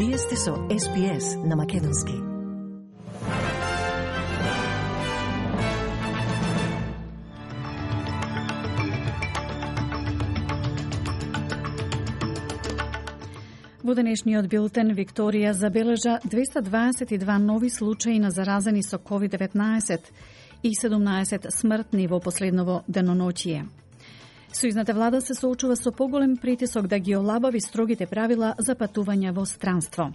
Вие сте со SBS на Македонски. Во денешниот билтен Викторија забележа 222 нови случаи на заразени со COVID-19 и 17 смртни во последново деноноќие. Сојузната влада се соочува со поголем притисок да ги олабави строгите правила за патување во странство.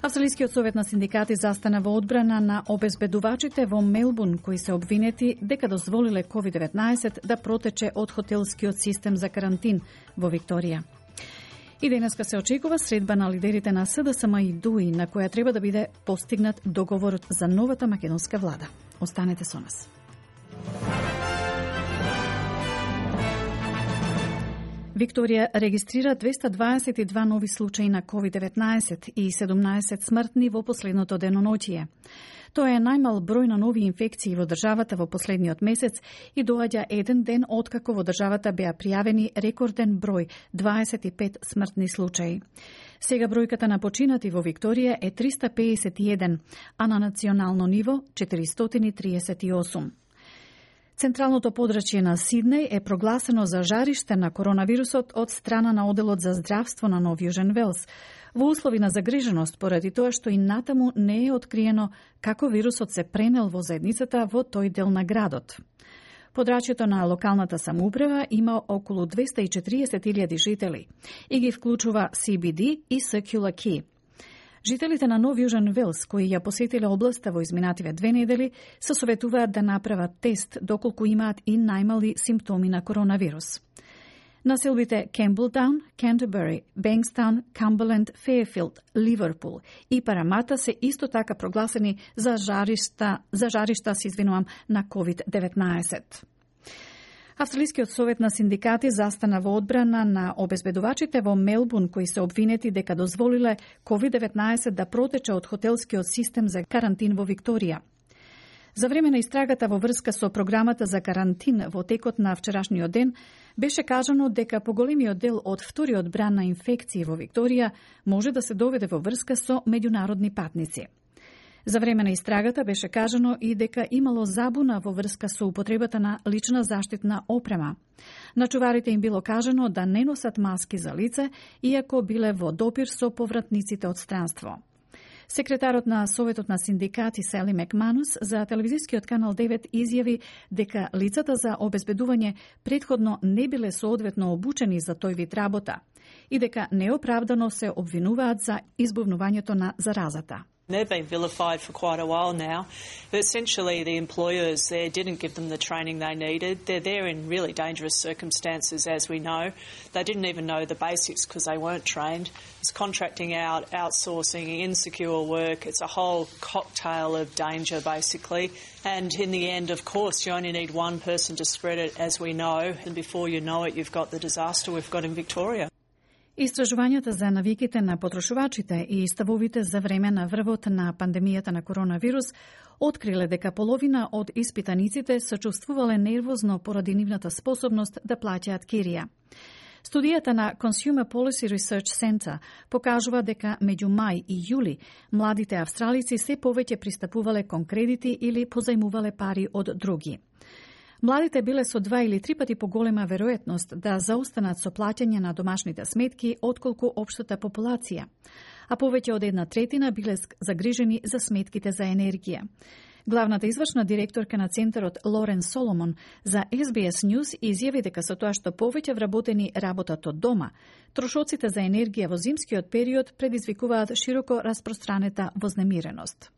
Австралискиот совет на синдикати застана во одбрана на обезбедувачите во Мелбурн кои се обвинети дека дозволиле COVID-19 да протече од хотелскиот систем за карантин во Викторија. И денеска се очекува средба на лидерите на СДСМ и ДУИ, на која треба да биде постигнат договорот за новата македонска влада. Останете со нас. Викторија регистрира 222 нови случаи на COVID-19 и 17 смртни во последното деноноќие. Тоа е најмал број на нови инфекции во државата во последниот месец и доаѓа еден ден откако во државата беа пријавени рекорден број 25 смртни случаи. Сега бројката на починати во Викторија е 351, а на национално ниво 438. Централното подрачје на Сиднеј е прогласено за жариште на коронавирусот од страна на Оделот за здравство на Нов Јужен Велс, во услови на загриженост поради тоа што и натаму не е откриено како вирусот се пренел во заедницата во тој дел на градот. Подрачјето на локалната самоуправа има околу 240.000 жители и ги вклучува CBD и Circular Quay. Жителите на Нов Јужен Велс, кои ја посетиле областа во изминативе 2 недели, се советуваат да направат тест доколку имаат и најмали симптоми на коронавирус. Населбите Кемблтаун, Кентербери, Бенкстаун, Камберленд, Фејерфилд, Ливерпул и Парамата се исто така прогласени за жаришта на COVID-19. Австралискиот совет на синдикати застана во одбрана на обезбедувачите во Мелбурн кои се обвинети дека дозволиле COVID-19 да протече од хотелскиот систем за карантин во Викторија. За време на истрагата во врска со програмата за карантин во текот на вчерашниот ден, беше кажано дека поголемиот дел од вториот бран на инфекции во Викторија може да се доведе во врска со меѓународни патници. За време на истрагата беше кажано и дека имало забуна во врска со употребата на лична заштитна опрема. На чуварите им било кажано да не носат маски за лице, иако биле во допир со повратниците од странство. Секретарот на Советот на синдикати Сели Макманус за телевизискиот канал 9 изјави дека лицата за обезбедување претходно не биле соодветно обучени за тој вид работа и дека неоправдано се обвинуваат за избувнувањето на заразата. They've been vilified for quite a while now. But essentially, the employers there didn't give them the training they needed. They're there in really dangerous circumstances, as we know. They didn't even know the basics because they weren't trained. It's contracting out, outsourcing, insecure work. It's a whole cocktail of danger, basically. And in the end, of course, you only need one person to spread it, as we know. And before you know it, you've got the disaster we've got in Victoria. Истражувањата за навиките на потрошувачите и ставовите за време на врвот на пандемијата на коронавирус откриле дека половина од испитаниците се чувствувале нервозно поради нивната способност да плаќаат кирија. Студијата на Consumer Policy Research Center покажува дека меѓу мај и јули младите австралици се повеќе пристапувале кон кредити или позајмувале пари од други. Младите биле со 2 или 3 пати поголема веројатност да заостанат со плаќање на домашните сметки отколку општата популација, а повеќе од 1/3 биле загрижени за сметките за енергија. Главната извршна директорка на центарот Лорен Соломон за SBS News изјави дека со тоа што повеќе вработени работат од дома, трошоците за енергија во зимскиот период предизвикуваат широко распространета вознемиреност.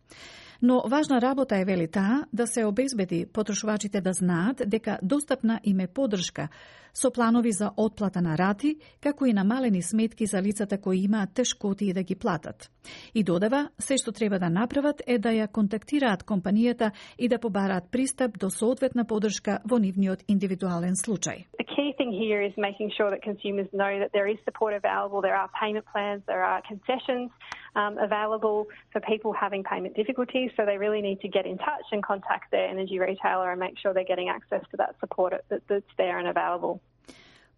Но важна работа е, вели таа, да се обезбеди потрошувачите да знаат дека достапна им е поддршка со планови за отплата на рати, како и намалени сметки за лицата кои имаат тешкоти да ги платат. И додава, се што треба да направат е да ја контактираат компанијата и да побараат пристап до соодветна поддршка во нивниот индивидуален случај. The key thing here is making sure that consumers know that there is support available, there are payment plans, there are concessions available for people having payment difficulties, so they really need to get in touch and contact their energy retailer and make sure they're getting access to that support that's there and available.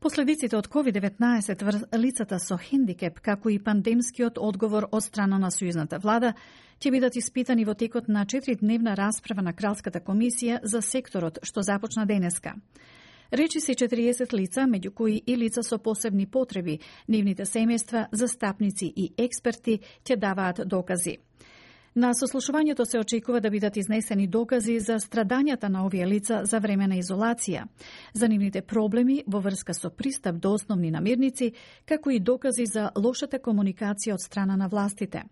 Последиците од COVID-19 врз лицата со хендикеп, како и пандемскиот одговор од страна на сојузната влада, ќе бидат испитани во текот на 4-дневна расправа на Кралската комисија за секторот, што започна денеска. Речи се 40 лица, меѓу кои и лица со посебни потреби, нивните семејства, застапници и експерти ќе даваат докази. На сослушувањето се очекува да бидат изнесени докази за страдањата на овие лица за време на изолација, за нивните проблеми во врска со пристап до основни намирници, како и докази за лошата комуникација од страна на властите.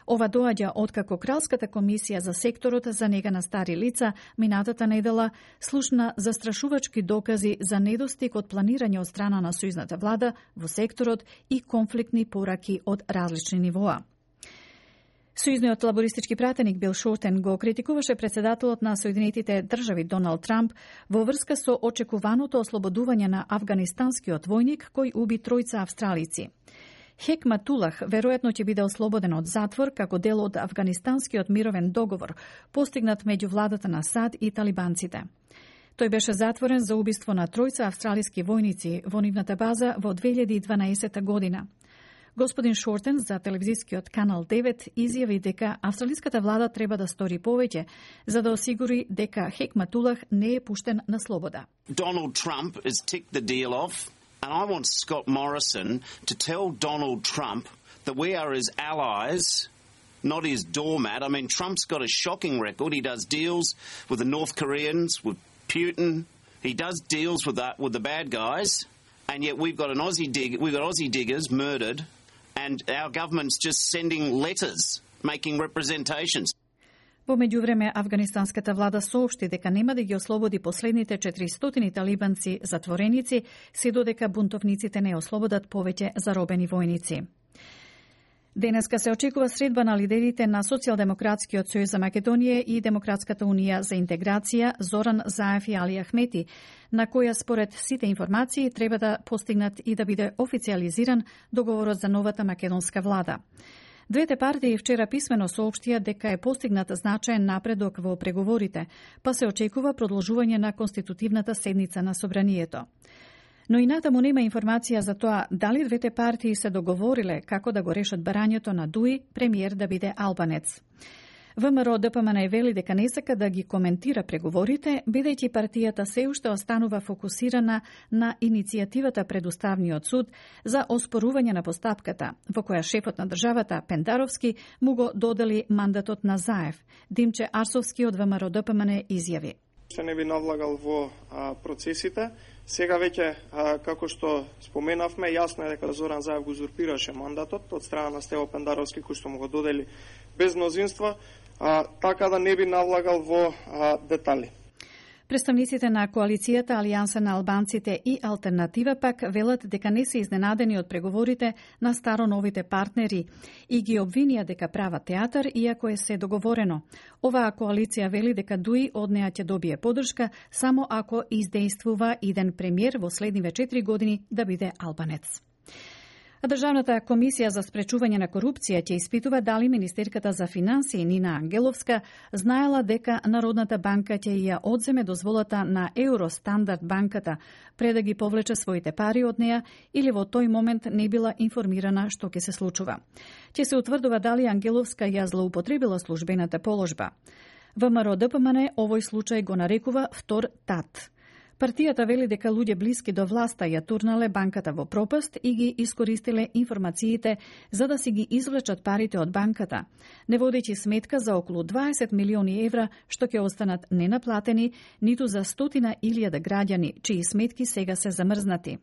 Ова доаѓа откако Кралската комисија за секторот за нега на стари лица минатата недела слушна застрашувачки докази за недостиг од планирање од страна на сојузната влада во секторот и конфликтни пораки од различни нивоа. Сојузниот лабористички пратеник Бил Шортен го критикуваше председателот на Соединетите држави Доналд Трамп во врска со очекуваното ослободување на афганистанскиот војник кој уби 3 австралици. Хекматулах веројатно ќе биде ослободен од затвор како дел од афганистанскиот мировен договор постигнат меѓу владата на САД и талибанците. Тој беше затворен за убиство на 3 австралиски војници во нивната база во 2012 година. Господин Шортен за телевизискиот канал 9 изјави дека австралиската влада треба да стори повеќе за да осигури дека Хекматулах не е пуштен на слобода. Donald Trump has ticked the deal off, and I want Scott Morrison to tell Donald Trump that we are his allies, not his doormat. I mean, Trump's got a shocking record. He does deals with the North Koreans, with Putin. He does deals with the bad guys, and yet we've got Aussie diggers murdered. And our government's just sending letters, making representations. Во меѓувреме, афганистанската влада соопшти дека нема да ги ослободи последните 400 талибанци затвореници, се додека бунтовниците не ослободат повеќе заробени војници. Денеска се очекува средба на лидерите на Социјалдемократскиот сојуз за Македонија и Демократската унија за интеграција Зоран Заев и Али Ахмети, на која според сите информации треба да постигнат и да биде официализиран договорот за новата македонска влада. Двете партии вчера писмено соопштија дека е постигнат значаен напредок во преговорите, па се очекува продолжување на конститутивната седница на собранието. Но и натаму нема информација за тоа дали двете партии се договориле како да го решат барањето на Дуи премиер да биде албанец. ВМРО ДПМН вели дека не сака да ги коментира преговорите, бидејќи партијата се уште останува фокусирана на иницијативата пред Уставниот суд за оспорување на постапката, во која шефот на државата Пендаровски му го додели мандатот на Заев. Димче Арсовски од ВМРО ДПМН изјави: Се не би навлагал во процесите. Сега веќе, како што споменавме, јасно е дека Зоран Заев го узурпираше мандатот од страна на Стево Пендаровски, кој што му го додели без мнозинство, така да не би навлагал во детали. Представниците на коалицијата Алијанса на албанците и Алтернатива пак велат дека не се изненадени од преговорите на старо-новите партнери и ги обвинија дека прават театар, иако е се договорено. Оваа коалиција вели дека Дуи од неа ќе добие поддршка само ако издействува иден премиер во следниве 4 години да биде албанец. Државната комисија за спречување на корупција ќе испитува дали министерката за финансии Нина Ангеловска знаела дека Народната банка ќе ја одземе дозволата на Евростандард банката пред да ги повлече своите пари од неа или во тој момент не била информирана што ќе се случува. Ќе се утврдува дали Ангеловска ја злоупотребила службената положба. ВМРО ДПМН овој случај го нарекува втор тат. Партијата вели дека луѓе блиски до власта ја турнале банката во пропаст и ги искористиле информациите за да си ги извлечат парите од банката, не водејќи сметка за околу 20 милиони евра што ќе останат ненаплатени, ниту за 100.000 граѓани, чии сметки сега се замрзнати.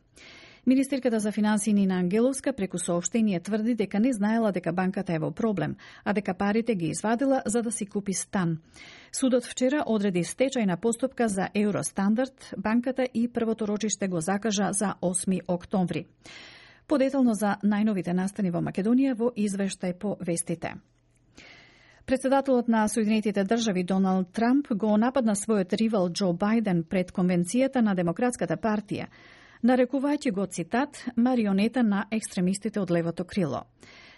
Министерката за финансии Нина Ангеловска преку соопштение тврди дека не знаела дека банката е во проблем, а дека парите ги извадила за да си купи стан. Судот вчера одреди стечајна постапка за Евростандард банката и првото рочиште го закажа за 8 октомври. Подетално за најновите настани во Македонија во извештај по вестите. Председателот на Соединетите држави Доналд Трамп го нападна својот ривал Џо Бајден пред конвенцијата на Демократската партија, нарекувајќи го, цитат, марионета на екстремистите од левото крило.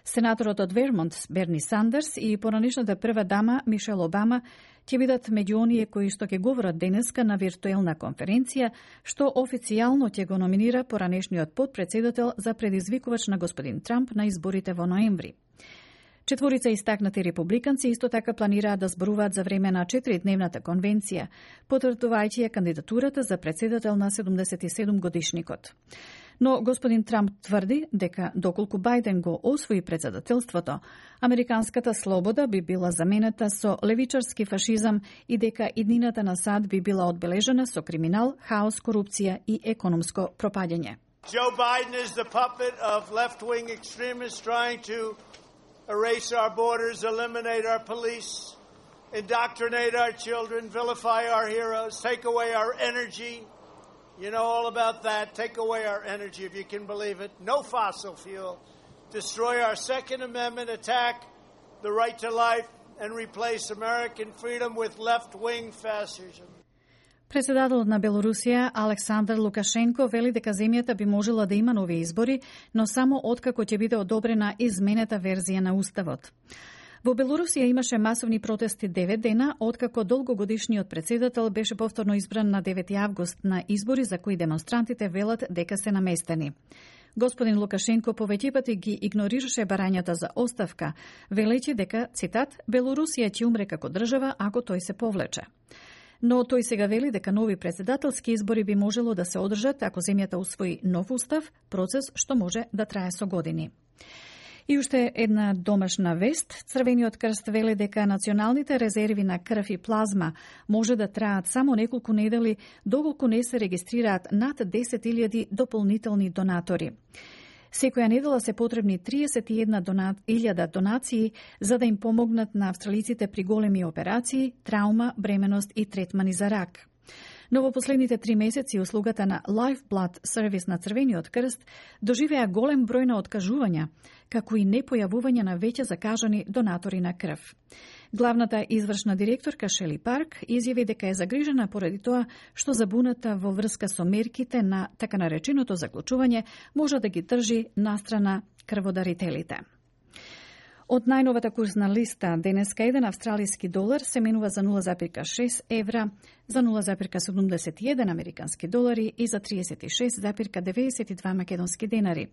Сенаторот од Вермонт Берни Сандерс и поранешната прва дама Мишел Обама ќе бидат меѓу оние кои што ќе говорат денеска на виртуелна конференција, што официјално ќе го номинира поранешниот потпредседател за предизвикувач на господин Трамп на изборите во ноември. Четворица истакнати републиканци исто така планираат да зборуваат за време на 4-дневната конвенција, потврдувајќи ја кандидатурата за председател на 77 годишникот. Но господин Трамп тврди дека доколку Бајден го освои председателството, американската слобода би била заменета со левичарски фашизам и дека иднината на САД би била одбележена со криминал, хаос, корупција и економско пропаѓање. Joe Biden is the puppet of left-wing extremists trying to erase our borders, eliminate our police, indoctrinate our children, vilify our heroes, take away our energy. You know all about that. Take away our energy, if you can believe it. No fossil fuel. Destroy our Second Amendment, attack the right to life, and replace American freedom with left-wing fascism. Председателот на Белорусија Александар Лукашенко вели дека земјата би можела да има нови избори, но само откако ќе биде одобрена изменета верзија на уставот. Во Белорусија имаше масовни протести 9 дена, откако долгогодишниот председател беше повторно избран на 9 август на избори за кои демонстрантите велат дека се наместени. Господин Лукашенко повеќе пати ги игнорираше барањата за оставка, велејќи дека, цитат, Белорусија ќе умре како држава ако тој се повлече. Но тој сега вели дека нови председателски избори би можело да се одржат ако земјата усвои нов устав, процес што може да трае со години. И уште една домашна вест. Црвениот крст веле дека националните резерви на крв и плазма може да траат само неколку недели доколку не се регистрираат над 10.000 дополнителни донатори. Секоја недела се потребни 31.000 донации за да им помогнат на австралиците при големи операции, траума, бременост и третмани за рак. Но во последните 3 месеци услугата на Lifeblood сервис на Црвениот крст доживеа голем број на откажувања, како и непојавување на веќе закажани донатори на крв. Главната извршна директорка Шели Парк изјави дека е загрижена поради тоа што забуната во врска со мерките на така нареченото заклучување може да ги држи настрана крводарителите. Од најновата курсна листа, денеска еден австралиски долар се менува за 0,6 евра, за 0,71 американски долари и за 36,92 македонски денари,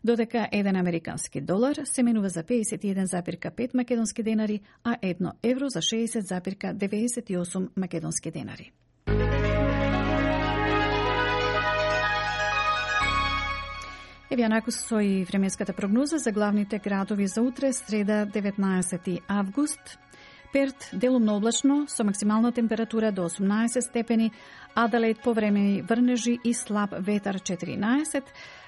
додека еден американски долар се менува за 51,5 македонски денари, а 1 евро за 60,98 македонски денари. Еве накус со и временската прогноза за главните градови за утре, среда 19 август. Перт делумно облачно со максимална температура до 18 степени, Аделаид повремени врнежи и слаб ветар 14,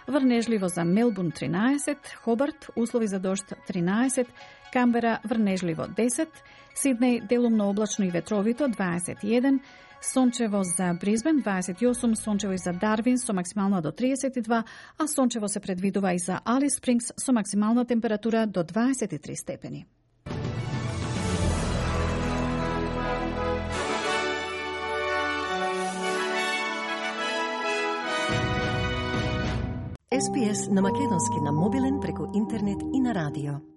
врнежливо за Мелбурн 13, Хобарт услови за дожд 13, Камбера врнежливо 10, Сиднеј делумно облачно и ветровито 21, сончево за Бризбен 28, сончево и за Дарвин со максимална до 32, а сончево се предвидува и за Алис Спрингс со максимална температура до 23 степени. SPS на македонски на мобилен преку интернет и на радио.